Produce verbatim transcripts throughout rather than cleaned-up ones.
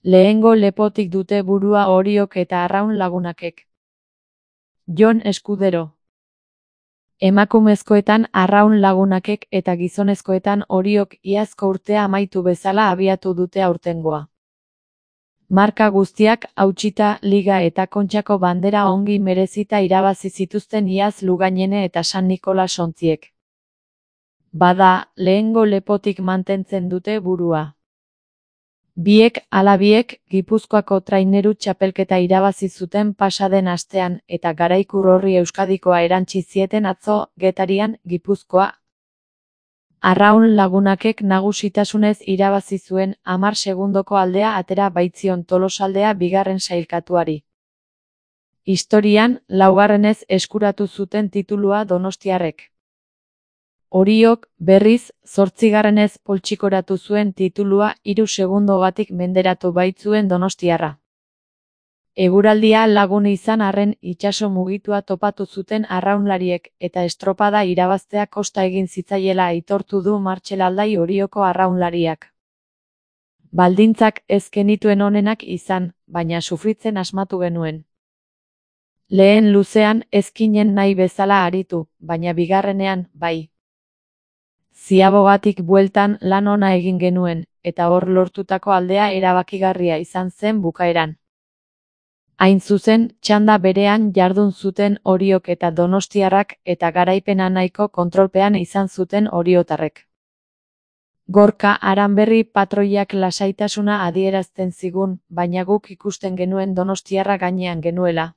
Lehengo lepotik dute burua Oriok eta Arraun lagunakek. Jon Eskudero. Emakumezkoetan Arraun lagunakek eta gizonezkoetan Oriok iazko urtea amaitu bezala abiatu dute aurtengoa. Marka guztiak hautsita, Liga eta Kontxako bandera ongi merezita irabazi zituzten iaz Lugainene eta San Nikolas ontziek. Bada, lehengo lepotik mantentzen dute burua. Biek ala biek Gipuzkoako traineru txapelketa irabazi zuten pasaden astean eta Garaikur horri Euskadikoa erantsi zieten atzo Getarian, Gipuzkoa. Arraun lagunakek nagusitasunez irabazi zuen hamar segundoko aldea atera baitzion Tolosaldea bigarren sailkatuari. Historian, laugarrenez eskuratu zuten titulua donostiarrek. Oriok, berriz, zortzigarrenez poltsikoratu zuen titulua hiru segundogatik menderatu baitzuen donostiarra. Eguraldia lagun izan arren itsaso mugitua topatu zuten arraunlariek eta estropada irabaztea kosta egin zitzaiela aitortu du Martxel Aldai Orioko arraunlariak. Baldintzak ez genituen onenak izan, baina sufritzen asmatu genuen. Lehen luzean ezkinen nahi bezala aritu, baina bigarrenean, bai. Ziabogatik bueltan lan ona egin genuen, eta hor lortutako aldea erabakigarria izan zen bukaeran. Hain zuzen, txanda berean jardun zuten Oriok eta donostiarrak eta garaipena nahiko kontrolpean izan zuten oriotarrek. Gorka Aranberri patroiak lasaitasuna adierazten zigun, baina guk ikusten genuen donostiarra gainean genuela.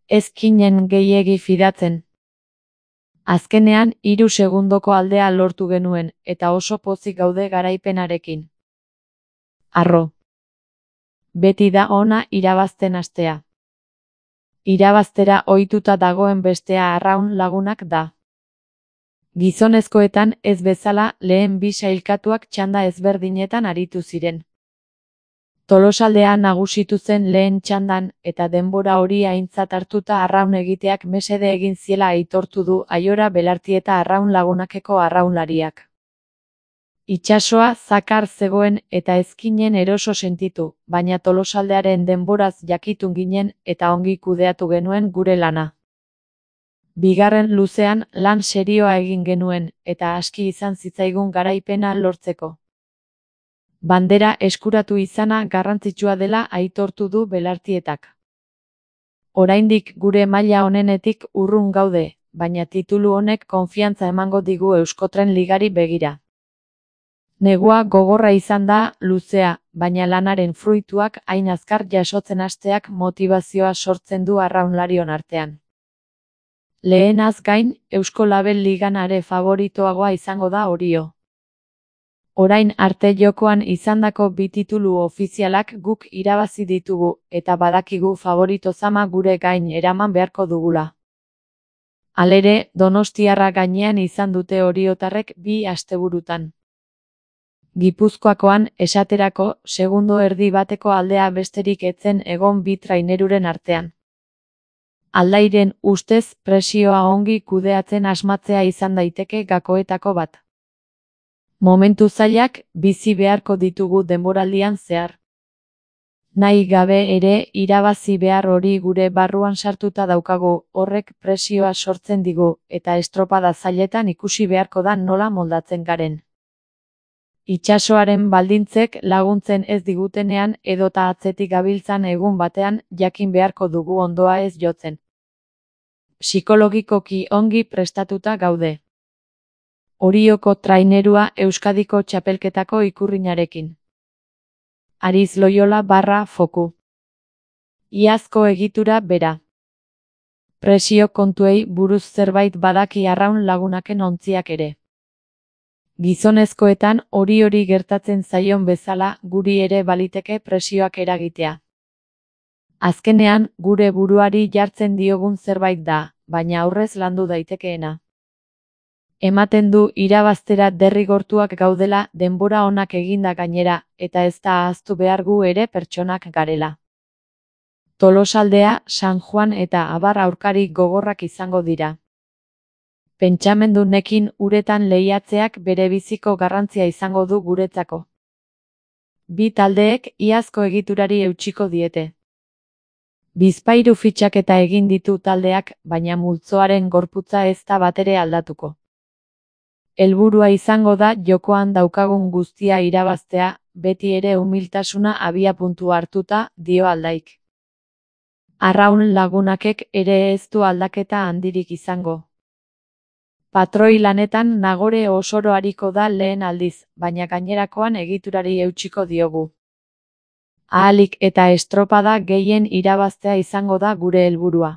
Ez ginen gehiegi fidatzen. Azkenean, hiru segundoko aldea lortu genuen, eta oso pozik gaude garaipenarekin. Arro. Beti da ona irabazten hastea. Irabaztera ohituta dagoen bestea Arraun lagunak da. Gizonezkoetan ez bezala lehen bi sailkatuak txanda ezberdinetan aritu ziren. Tolosaldea nagusitu zen lehen txandan eta denbora hori aintzat hartuta arraun egiteak mesede egin ziela aitortu du Aiora Belartieta Arraun lagunakeko arraunlariak. Itsasoa zakar zegoen eta ezkinen eroso sentitu, baina Tolosaldearen denboraz jakitun ginen eta ongi kudeatu genuen gure lana. Bigarren luzean lan serioa egin genuen eta aski izan zitzaigun garaipena lortzeko. Bandera eskuratu izana garrantzitsua dela aitortu du Belartietak. Oraindik gure maila onenetik urrun gaude, baina titulu honek konfiantza emango digu Euskotren Ligari begira. Negua gogorra izan da, luzea, baina lanaren fruituak hain azkar jasotzen hasteak motivazioa sortzen du arraunlarion artean. Lehenaz gain, Eusko Label Ligan are favoritoagoa izango da Orio. Orain arte jokoan izandako bi titulu ofizialak guk irabazi ditugu, eta badakigu favorito zama gure gain eraman beharko dugula. Halere, Donostiarra gainean izan dute oriotarrek bi asteburutan. Gipuzkoakoan, esaterako, segundo erdi bateko aldea besterik etzen egon bi traineruren artean. Aldairen ustez presioa ongi kudeatzen asmatzea izan daiteke gakoetako bat. Momentu zailak bizi beharko ditugu denboraldian zehar. Nahi gabe ere irabazi behar hori gure barruan sartuta daukagu, horrek presioa sortzen digu, eta estropada zailetan ikusi beharko da nola moldatzen garen. Itsasoaren baldintzek laguntzen ez digutenean edota atzetik gabiltzan egun batean jakin beharko dugu ondoa ez jotzen. Psikologikoki ongi prestatuta gaude. Orioko trainerua Euskadiko txapelketako ikurrinarekin. Ariz Loyola barra foku. Iazko egitura bera. Presio kontuei buruz zerbait badaki arraun lagunaken ontziak ere. Gizonezkoetan hori hori gertatzen zaion bezala guri ere baliteke presioak eragitea. Azkenean, gure buruari jartzen diogun zerbait da, baina aurrez landu daitekeena. Ematen du irabaztera derrigortuak gaudela denbora onak eginda gainera, eta ez da ahaztu behar gu ere pertsonak garela. Tolosaldea, San Juan eta abar aurkari gogorrak izango dira. Pentsamendu nekin uretan lehiatzeak bere biziko garrantzia izango du guretzako. Bi taldeek iazko egiturari eutsiko diete. Bizpahiru fitxaketa egin ditu taldeak, baina multzoaren gorputza ez da batere aldatuko. Helburua izango da jokoan daukagun guztia irabaztea, beti ere umiltasuna abiapuntu hartuta, dio Aldaik. Arraun Lagunakek ere ez du aldaketa handirik izango. Patroi lanetan Nagore Osoro ariko da lehen aldiz, baina gainerakoan egiturari eutsiko diogu. Ahalik eta estropada gehien irabaztea izango da gure helburua.